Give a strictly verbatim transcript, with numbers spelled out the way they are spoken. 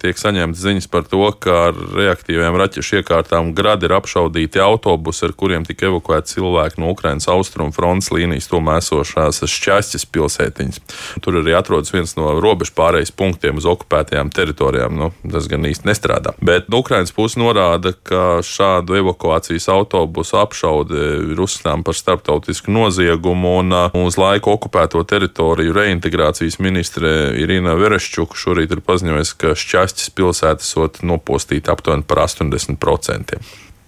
tiek saņemtas ziņas par to, ka ar reaktīviem raķešu iekārtām Grad ir apšaudīti autobusi, ar kuriem tika evakuēti cilvēki no Ukrainas austrumu frontes līnijas tuvumā esošās Šķaķes pilsētiņas. Tur arī atrodas viens no robežu pārejas punktiem uz okupētajām teritorijām. Nu, tas gan īsti nestrādā. Bet Ukrainas puse norāda, ka šādu evakuācijas autobusu apšaude ir uzskatām par starptautisku noziegumu, un uz laiku okupēto teritoriju reintegrācijas ministre Irina Vereščuka šorīt ir paziņojusi, ka Šķaķes pilsēta esot nopostīta aptuveni par astoņdesmit procentiem.